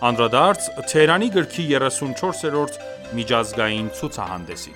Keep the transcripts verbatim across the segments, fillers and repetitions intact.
Անդրադարձ Թեհրանի գրքի երեսունչորսերորդ միջազգային ցուցահանդեսին։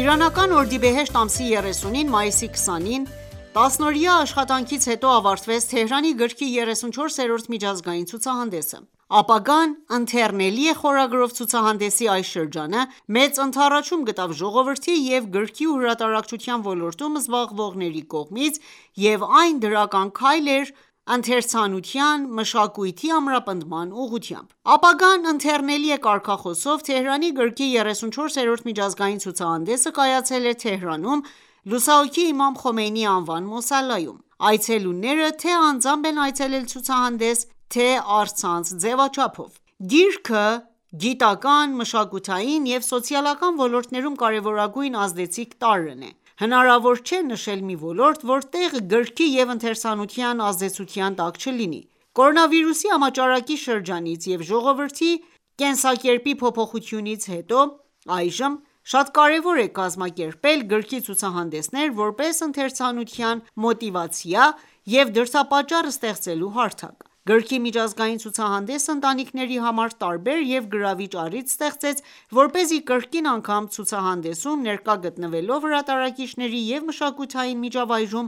Իրանական օրդիբեհեշտ ամսի երեսունին, մայիսի քսանին, տասնօրյա աշխատանքից հետո ավարտվեց Թեհրանի գրքի երեսունչորսերորդ միջազգային ցուցահանդեսը։ «Ապագան ընթեռնելի է» խորագրով ցուցահանդեսի այս շրջանը մեծ ընդառաջում գտավ ժողովրդի և գրքի ու հրատարակչության ոլորտում զբաղվողների կողմից և այն դրական քայլ էր ընթերցանության, մշակույթի ամրապնդման ուղղությամբ։ «Ապագան ընթեռնելի է» կարգախոսով Թեհրանի գրքի երեսունչորսերորդ միջազգային ցուցահանդեսը կայացել է Թեհրանում լուսահոգի Իմամ Խոմեյնիի անվան մոսալայում։ Այցելուները թե անձամբ են այցելել ցուցահանդես, թե առցանց ձևաչափով։ Գիրքը գիտական, մշակութային և սոցիալական ոլորտներում կարևորագույն ազդեցիկ տարրն է։ Հնարավոր չէ նշել մի ոլորտ, որտեղ գրքի և ընթերցանության ազդեցության տակ չլինի։ Կորոնավիրուսի համաճարակի շրջանից և ժողովրդի կենսակերպի փոփոխությունից հետո այժմ շատ կարևոր է կազմակերպել գրքի ցուցահանդեսներ, որպես ընթերցանության մոտիվացիա և դրդապատճառ ստեղծելու հարթակ։ Գրքի միջազգային ցուցահանդեսը ընտանիքների համար տարբեր և գրավիչ առիթ ստեղծեց, որպեսզի կրկին անգամ ցուցահանդեսում ներկա գտնվելով հրատարակիչների և մշակութային միջավայրում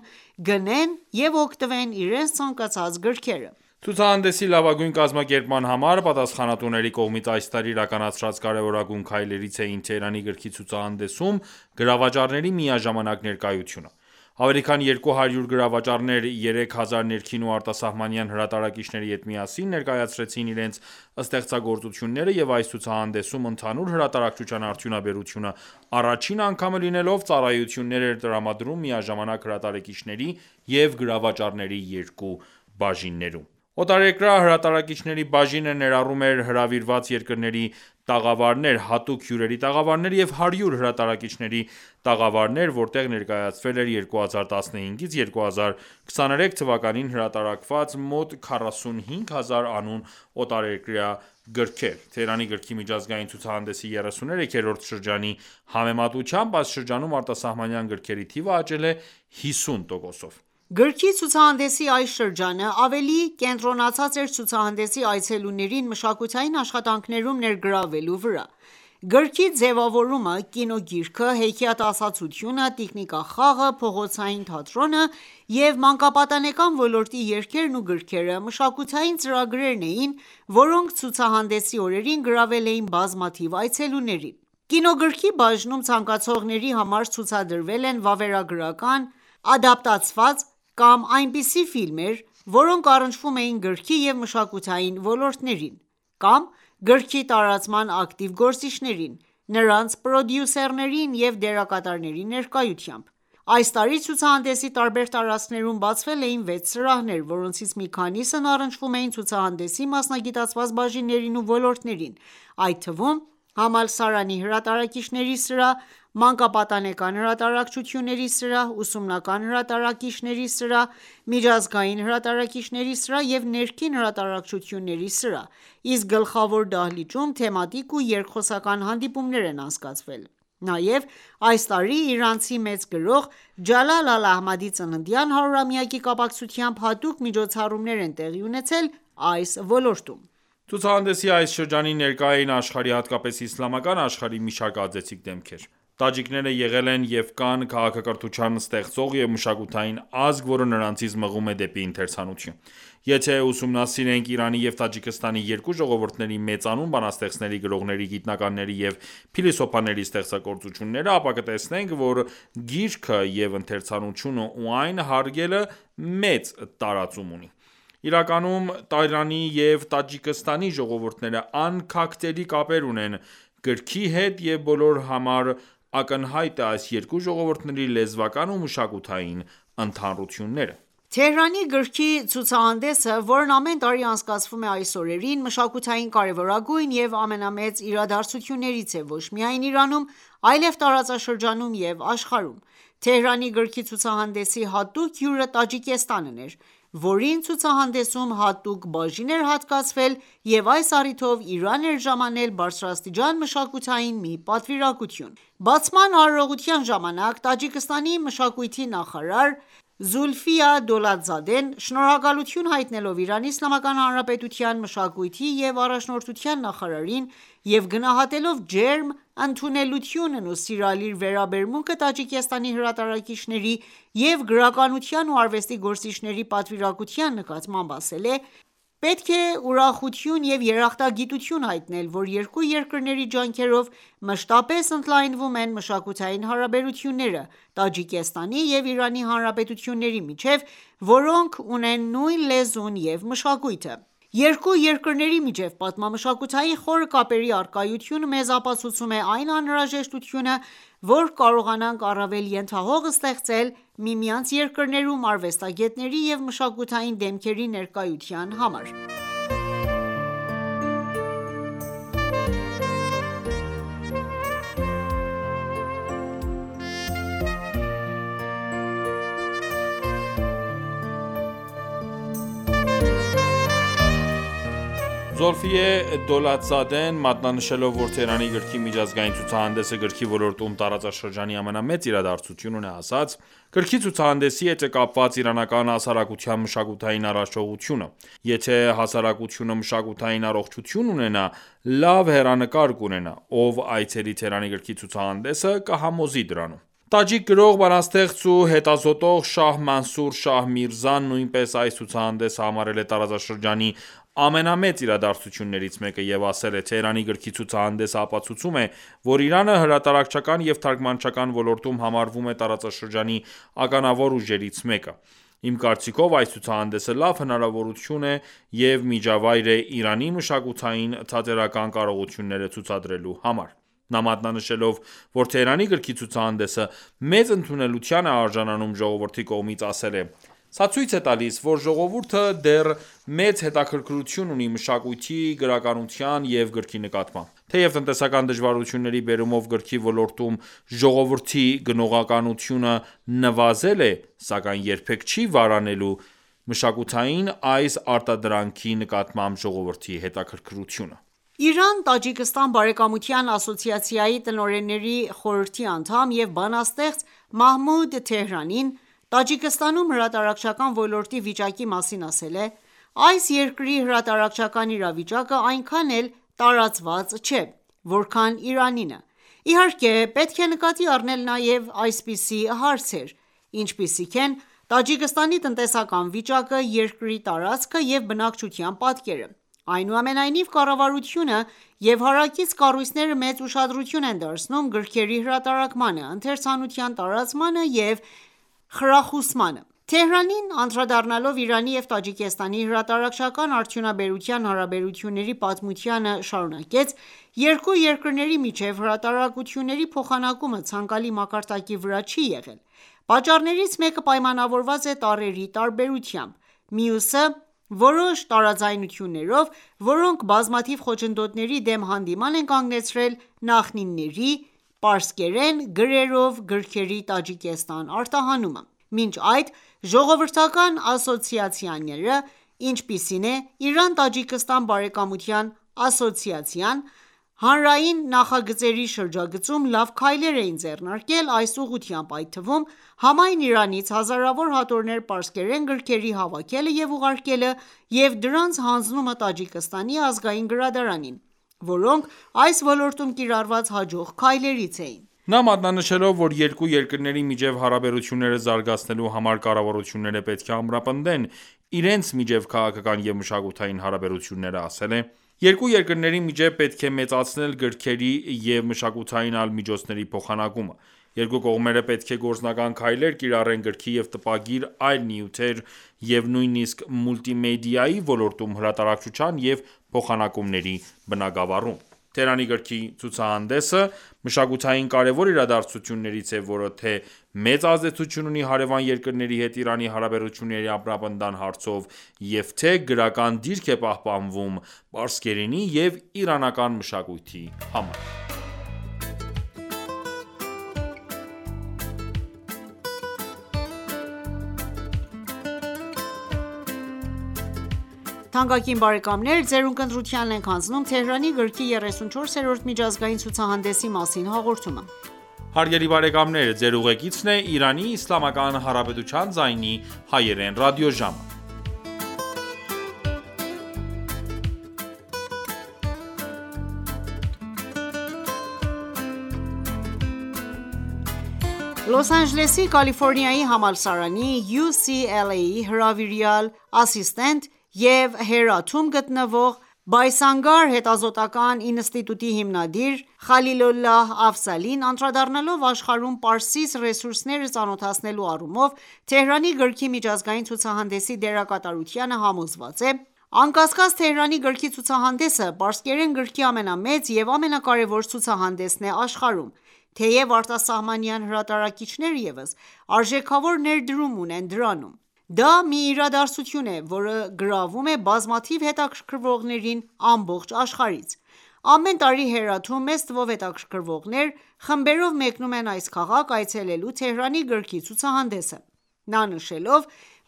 գնեն և օգտվեն իրենց ցանկացած գրքերը։ Ցուցահանդեսի լավագույն կազմակերպման համար պատասխանատուների կողմից այս տարի իրականացրած կարևորագույն քայլերից էին Թեհրանի գրքի ցուցահանդեսում գրավաճառների միաժամանակ ներկայությունը։ Ավելի քան երկու հարյուր գրավաճառներ երեք հազար ներքին ու արտասահմանյան հրատարակիչների հետ միասին ներկայացրեցին իրենց ստեղծագործությունները և այս ցուցահանդեսում ընդհանուր հրատարակչության արդյունաբերությունը առաջին անգամը լինելով ծառայություններ էր տրամադրում միաժամանակ հրատարակիչների և գրավաճառների երկու բաժիններում։ Օտարերկրյա հրատարակիչների բաժինը ներառում էր հրավիրված երկրների տաղավարներ, հատուկ հյուրերի տաղավարներ և հարյուր հրատարակիչների տաղավարներ, որտեղ ներկայացվել էր երկու հազար տասնհինգից երկու հազար քսաներեք թվականներին հրատարակված մոտ քառասունհինգ հազար անուն օտարերկրյա գրքեր։ Թեհրանի գրքի միջազգային ցուցահանդեսի երեսուներեքերորդ շրջանի համեմատությամբ այս շրջանում արտասահմանյան գրքերի թիվը աճել է հիսուն տոկոսով։ Գրքի ցուցահանդեսի այս շրջանը ավելի կենտրոնացած էր ցուցահանդեսի այցելուներին մշակութային աշխատանքներում ներգրավելու վրա։ Գրքի ձևավորումը, կինոգիրքը, հեքիաթասացությունը, տիկնիկախաղը, փողոցային թատրոնը և մանկապատանեկան ոլորտի երգերն ու գրքերը մշակութային ծրագրերն էին, որոնք ցուցահանդեսի օրերին գրավել էին բազմաթիվ այցելուների։ Կինոգրքի բաժնում ցանկացողների համար ցուցադրվել են վավերագրական, ադապտացված կամ այնպիսի ֆիլմեր, որոնք առնչվում էին գրքի և մշակութային ոլորտներին, կամ գրքի տարածման ակտիվ գործիչներին, նրանց պրոդյուսերներին և դերակատարների ներկայությամբ։ Այս տարի ցուցահանդեսի տարբեր տարածքներում բացվել էին վեց սրահներ, որոնցից մի քանիսն առնչվում էին ցուցահանդեսի մասնագիտացված բաժիններին ու ոլորտներին, այդ թվում համալսարանի հրատարակիչների սրահ, մանկապատանեկան հրատարակչությունների սրահ, ուսումնական հրատարակիչների սրահ, միջազգային հրատարակիչների սրահ և ներքին հրատարակչությունների սրահ, իսկ գլխավոր դահլիճում թեմատիկ ու երկխոսական հանդիպումներ են անցկացվել։ Նաև այս տարի իրանցի մեծ գրող Ջալալ Ալ-Ահմադի ծննդյան հարյուրամյակի կապակցությամբ հատուկ միջոցառումներ են տեղի ունեցել այս ոլորտում։ Ցուցահանդեսի այս շրջանին ներկա էին աշխարհի, հատկապես իսլամական աշխարհի մի շարք ազդեցիկ դեմքեր։ Տաջիկները եղել են և կան քաղաքակրթության ստեղծող և մշակութային ազգ, որը նրանցից մղում է դեպի ընթերցանություն։ Եթե ուսումնասիրենք Իրանի և Տաջիկստանի երկու ժողովուրդների մեծանուն բանաստեղծների, գրողների, գիտնականների և փիլիսոփաների ստեղծագործությունները, ապա կտեսնենք, որ գիրքը և ընթերցանությունը ու այն հարգելը մեծ տարածում ունի։ Իրականում Իրանի և Տաջիկստանի ժողովուրդները անքակտելի կապեր ունեն գրքի հետ և բոլորի համար ակնհայտ է այս երկու ժողովուրդների լեզվական ու մշակութային ընդհանրությունները։ Թեհրանի գրքի ցուցահանդեսը, որն ամեն տարի անցկացվում է այս օրերին, մշակութային կարևորագույն և ամենամեծ իրադարձություններից է ոչ միայն Իրանում, այլև տարածաշրջանում և աշխարհում։ Թեհրանի գրքի ցուցահանդեսի հատուկ հյուրը Տաջիկստանն էր, որին ցուցահանդեսում հատուկ բաժին էր հատկացվել և այս առիթով Իրան էր ժամանել բարձրաստիճան մշակութային մի պատվիրակություն: Բացման արարողության ժամանակ Տաջիկստանի մշակույթի նախարար Զուլֆիա Դոլաթզադեն շնորհակալություն հայտնելով Իրանի Իսլամական Հանրապետության մշակույթի և առաջնորդության նախարարին և գնահատելով ջերմ ընդունելությունն ու սիրալիր վերաբերմունքը Տաջիկստանի հրատարակիչների և գրականության ու արվեստի գործիչների պատվիրակության նկատմամբ ասել է.«Պետք է ուրախություն և երախտագիտություն հայտնել, որ երկու երկրների ջանքերով մշտապես ընդլայնվում են մշակութային հարաբերությունները Տաջիկստանի և Իրանի Հանրապետությունների միջև, որոնք ունեն նույն լեզուն և մշակույթը: Երկու երկրների միջև պատմամշակութային խորը կապերի առկայությունը մեզ ապացուցում է այն անհրաժեշտությունը, որ կարողանանք առավել ենթահող ստեղծել միմյանց երկրներում արվեստագետների և մշակութային դեմքերի ներկայության համար»: Զոլֆիե Դոլաթզադեն մատնանշելով, որ Թեհրանի գրքի միջազգային ցուցահանդեսը գրքի ոլորտում տարածաշրջանի ամենամեծ իրադարձությունն է, ասաց.«Գրքի ցուցահանդեսի հետ է կապված իրանական հասարակության մշակութային առաջխաղությունը: Եթե հասարակությունը մշակութային առողջություն ունենա, լավ հեռանկար կունենա: Ով այցելի Թեհրանի գրքի ցուցահանդեսը, կհամոզի դրանում»: Տաջիկ գրող, բանաստեղծ ու հետազոտող Շահ Մանսուր Շահ Միրզան նույնպես այս ցուցահանդեսը համարել է տարածաշրջանի ամենամեծ իրադարձություններից մեկը և ասել է.«Թեհրանի գրքի ցուցահանդեսը ապացուցում է, որ Իրանը հրատարակչական և թարգմանչական ոլորտում համարվում է տարածաշրջանի ականավոր ուժերից մեկը: Իմ կարծիքով այս ցուցահանդեսը լավ հնարավորություն է և միջավայր է Իրանի մշակութային թատերական կարողությունները ցուցադրելու համար»: Նա մատնանշելով, որ Թեհրանի գրքի ցուցահանդեսը մեծ ընդունելության է արժանանում ժողովրդի կողմից, ասել է.«Սա ցույց է տալիս, որ ժողովուրդը դեռ մեծ հետաքրքրություն ունի մշակույթի, գրականության և գրքի նկատմամբ: Թեև տնտեսական դժվարությունների բերումով գրքի ոլորտում ժողովրդի գնողականությունը նվազել է, սակայն երբեք չի վարանելու մշակութային այս արտադրանքի նկատմամբ ժողովրդի հետաքրքրությունը»: Իրան-Տաջիկստան բարեկամության ասոցիացիայի տնօրենների խորհրդի անդամ և բանաստեղծ Մահմուդ Թեհրանին Տաջիկստանում հրատարակչական ոլորտի վիճակի մասին ասել է.«Այս երկրի հրատարակչական իրավիճակը այնքան էլ տարածված չէ, որքան Իրանինը: Իհարկե պետք է նկատի առնել նաև այսպիսի հարցեր, ինչպիսիք են Տաջիկստանի տնտեսական վիճակը, երկրի տարածքը և բնակչության պատկերը: Այնուամենայնիվ, կառավարությունը և հարակից կառույցները մեծ ուշադրություն են դարձնում գրքերի հրատարակմանը, ընթերցանության տարածմանը և խրախուսմանը»: Թեհրանին անդրադառնալով Իրանի և Տաջիկստանի հրատարակչական արդյունաբերության հարաբերությունների պատմությանը շարունակեց.«Երկու երկրների միջև հրատարակությունների փոխանակումը ցանկալի մակարդակի վրա չի եղել: Պատճառներից մեկը պայմանավորված է տառերի տարբերությամբ, մյուսը որոշ տարաձայնություններով, որոնք բազմաթիվ խոչընդոտների դեմ հանդիման են կանգնեցրել նախնիների պարսկերեն գրերով գրքերի Տաջիկստան արտահանումը: Մինչ այդ ժողովրդական ասոցիացիաները, ինչպիսին է Իրան-Տաջիկստան բարեկամության ասոցիացիան, հանրային նախագծերի շրջագծում լավ քայլեր էին ձեռնարկել այս ուղղությամբ, այդ թվում համայն Իրանից հազարավոր հատորներ պարսկերեն գրքերի հավաքելը և ուղարկելը և դրանց հանձնումը Տաջիկստանի ազգային գրադարանին, որոնք այս ոլորտում կիրառված հաջող քայլերից էին»: Նա մատնանշելով, որ երկու երկրների միջև հարաբերությունները զարգացնելու համար կառավարությունները պետք է ամրապնդեն իրենց միջև քաղաքական և մշակութային հարաբերությունները, ասել է.«Երկու երկրների միջև պետք է մեծացնել գրքերի և մշակութային այլ միջոցների փոխանակումը: Երկու կողմերը պետք է գործնական քայլեր կիրառեն գրքի և տպագիր այլ նյութեր և նույնիսկ մուլտիմեդիայի ոլորտում հրատարակչության և փոխանակումների բնագավառում»: Թեհրանի գրքի ցուցահանդեսը մշակութային կարևոր իրադարձություններից է, որը թե մեծ ազդեցություն ունի հարևան երկրների հետ Իրանի հարաբերությունների ամրապնդման հարցով և թե գրական դիրք է պահպանվում պարսկերենի և իրանական մշակույթի համար: Թանկագին բարեկամներ, ձեր ունկնդրությանն ենք հանձնում Թեհրանի գրքի երեսունչորսերորդ միջազգային ցուցահանդեսի մասին հաղորդումը։ Հարգելի բարեկամներ, ձեր ուղեկիցն է Իրանի Իսլամական Հանրապետության ձայնի հայերեն ռադիոժամը։ Լոս Անջելեսի Կալիֆորնիայի համալսարանի յու սի ել էյ-ի հրավիրյալ ասիստենտ և Հերաթում գտնվող Բայսանգար հետազոտական ինստիտուտի հիմնադիր Խալիլոլլահ Աֆզալին անդրադառնալով աշխարհում պարսից ռեսուրսները ծանոթացնելու առումով Թեհրանի գրքի միջազգային ցուցահանդեսի դերակատարությանը համոզված է. «Անկասկած Թեհրանի գրքի ցուցահանդեսը պարսկերեն գրքի ամենամեծ և ամենակարևոր ցուցահանդեսն է աշխարհում, թեև արտասահմանյան հրատարակիչները ևս արժեքավոր ներդրում ունեն դրանում: Դա մի իրադարձություն է, որը գրավում է բազմաթիվ հետաքրքրվողներին ամբողջ աշխարհից: Ամեն տարի Հերաթում մեծ թվով հետաքրքրվողներ խմբերով մեկնում են այս քաղաք այցելելու Թեհրանի գրքի ցուցահանդեսը»: Նա նշելով,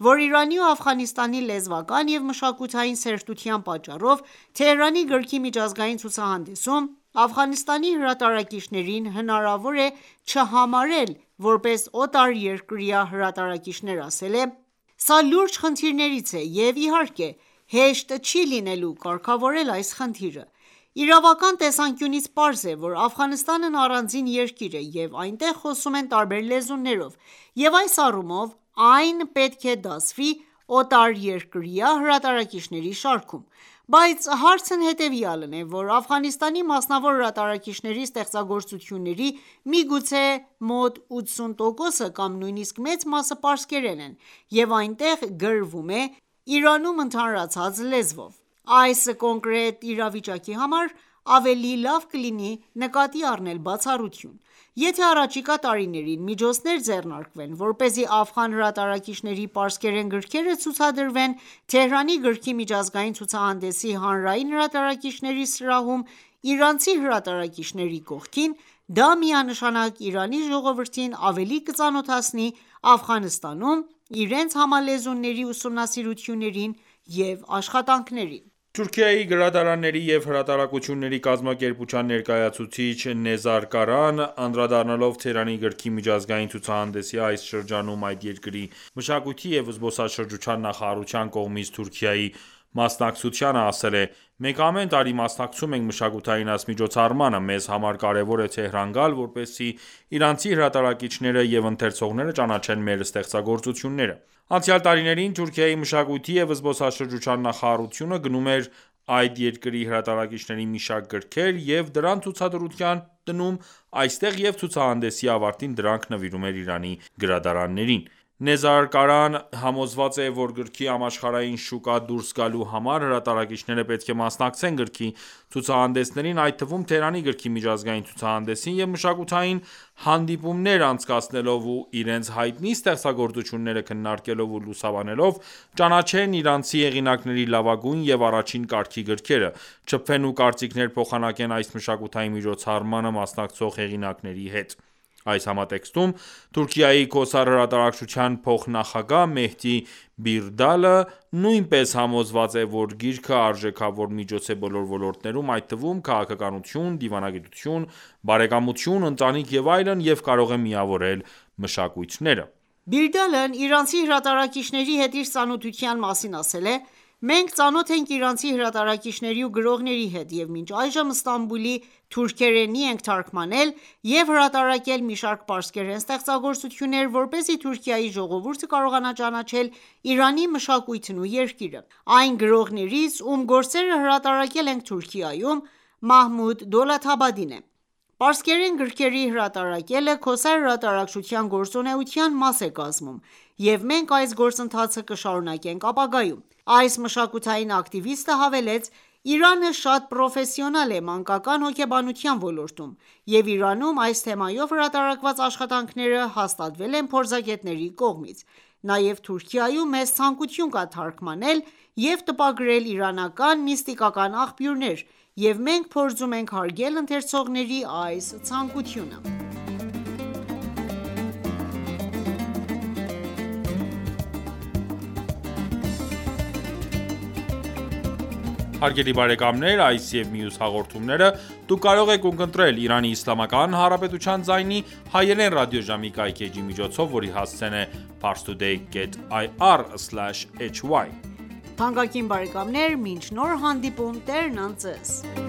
որ Իրանի ու Աֆղանստանի լեզվական և մշակութային սերտության պատճառով Թեհրանի գրքի միջազգային ցուցահանդեսում Աֆղանստանի հրատարակիչներին հնարավոր է չհամարել որպես օտարերկրյա հրատարակիչներ, ասել է. «Սա լուրջ խնդիրներից է և իհարկե հեշտ չի լինելու կարգավորել այս խնդիրը: Իրավական տեսանկյունից պարզ է, որ Աֆղանստանն առանձին երկիր է և այնտեղ խոսում են տարբեր լեզուներով և այս առումով այն պետք է դասվի օտարերկրյա հրատարակիչների շարքում: Բայց հարցն հետևյալն է, որ Աֆղանստանի մասնավոր հրատարակիչների ստեղծագործությունների միգուցե մոտ ութսուն տոկոսը կամ նույնիսկ մեծ մասը պարսկերեն են և այնտեղ գրվում է Իրանում ընդհանրացած լեզվով: Այս կոնկրետ իրավիճակի համար ավելի լավ կլինի նկատի առնել բացառություն: Եթե առաջիկա տարիներին միջոցներ ձեռնարկվեն, որպեսզի աֆղան հրատարակիչների պարսկերեն գրքերը ցուցադրվեն Թեհրանի գրքի միջազգային ցուցահանդեսի հանրային հրատարակիչների սրահում իրանցի հրատարակիչների կողքին, դա միանշանակ Իրանի ժողովրդին ավելի կծանոթացնի Աֆղանստանում իրենց համալեզուների ուսումնասիրություններին և աշխատանքներին»: Թուրքիայի գրադարանների և հրատարակությունների կազմակերպության ներկայացուցիչ Նեզար Կարան, անդրադառնալով Թեհրանի գրքի միջազգային ցուցահանդեսի այս շրջանում այդ երկրի մշակույթի և զբոսաշրջության նախարարության կողմից Թուրքիայի մասնակցությանը, ասել է. «Մենք ամեն տարի մասնակցում ենք մշակութային այս միջոցառմանը: Մեզ համար կարևոր է Թեհրան գալ, որպեսզի իրանցի հրատարակիչները և ընթերցողները ճանաչեն մեր ստեղծագործությունները»: Անցյալ տարիներին Թուրքիայի մշակույթի և զբոսաշրջության նախարարությունը գնում էր այդ երկրի հրատարակիչների մի շարք գրքեր և դրանց ցուցադրության դնում այստեղ և ցուցահանդեսի ավարտին դրանք նվիրում էր Իրանի գրադարաններին: Նեզար Կարան համոզված է, որ գրքի համաշխարհային շուկա դուրս գալու համար հրատարակիչները պետք է մասնակցեն գրքի ցուցահանդեսներին, այդ թվում Թեհրանի գրքի միջազգային ցուցահանդեսին և մշակութային հանդիպումներ անցկացնելով ու իրենց հայտնի ստեղծագործությունները քննարկելով ու լուսաբանելով, ճանաչեն իրանցի հեղինակների լավագույն և առաջին կարգի գրքերը, շփվեն ու կարծիքներ փոխանակեն այս մշակութային միջոցառմանը մասնակցող հեղինակների հետ: Այս համատեքստում Թուրքիայի Քոսար հրատարակչության փոխնախագահ Մեհդի Բիրդալը նույնպես համոզված է, որ գիրքը արժեքավոր միջոց է բոլոր ոլորտներում, այդ թվում քաղաքականություն, դիվանագիտություն, բարեկամություն, ընտանիք և այլն և կարող է միավորել մշակույթները: Բիրդալն իրանցի հրատարակիչների հետ իր ծանոթության մասին ասել է. «Մենք ծանոթ ենք իրանցի հրատարակիչների ու գրողների հետ և մինչ այժմ Ստամբուլի թուրքերենի ենք թարգմանել և հրատարակել մի շարք պարսկերեն ստեղծագործություններ, որպեսզի Թուրքիայի ժողովուրդը կարողանա ճանաչել Իրանի մշակույթն ու երկիրը: Այն գրողներից, ում գործերը հրատարակել ենք Թուրքիայում, Մահմուդ Դոլաթաբադին է: Պարսկերեն գրքերի հրատարակելը Քոսար հրատարակչության գործունեության մաս է կազմում և մենք այս գործընթացը կշարունակենք ապագայում»: Այս մշակութային ակտիվիստը հավելեց. «Իրանը շատ պրոֆեսիոնալ է մանկական հոգեբանության ոլորտում և Իրանում այս թեմայով հրատարակված աշխատանքները հաստատվել են փորձագետների կողմից: Նաև Թուրքիայում մեծ ցանկություն կա թարգմանել և տպագրել իրանական միստիկական աղբյուրներ և մենք փորձում ենք հարգել ընթերցողների այս ցանկությունը»: Հարգելի բարեկամներ, այս և մյուս հաղորդումները դուք կարող եք ունկնդրել Իրանի Իսլամական Հանրապետության ձայնի հայերեն ռադիոժամի կայքէջի միջոցով, որի հասցեն է parstoday dot ir slash hy: Թանկագին բարեկամներ, մինչ նոր հանդիպում, Տերն անց Ձեզ: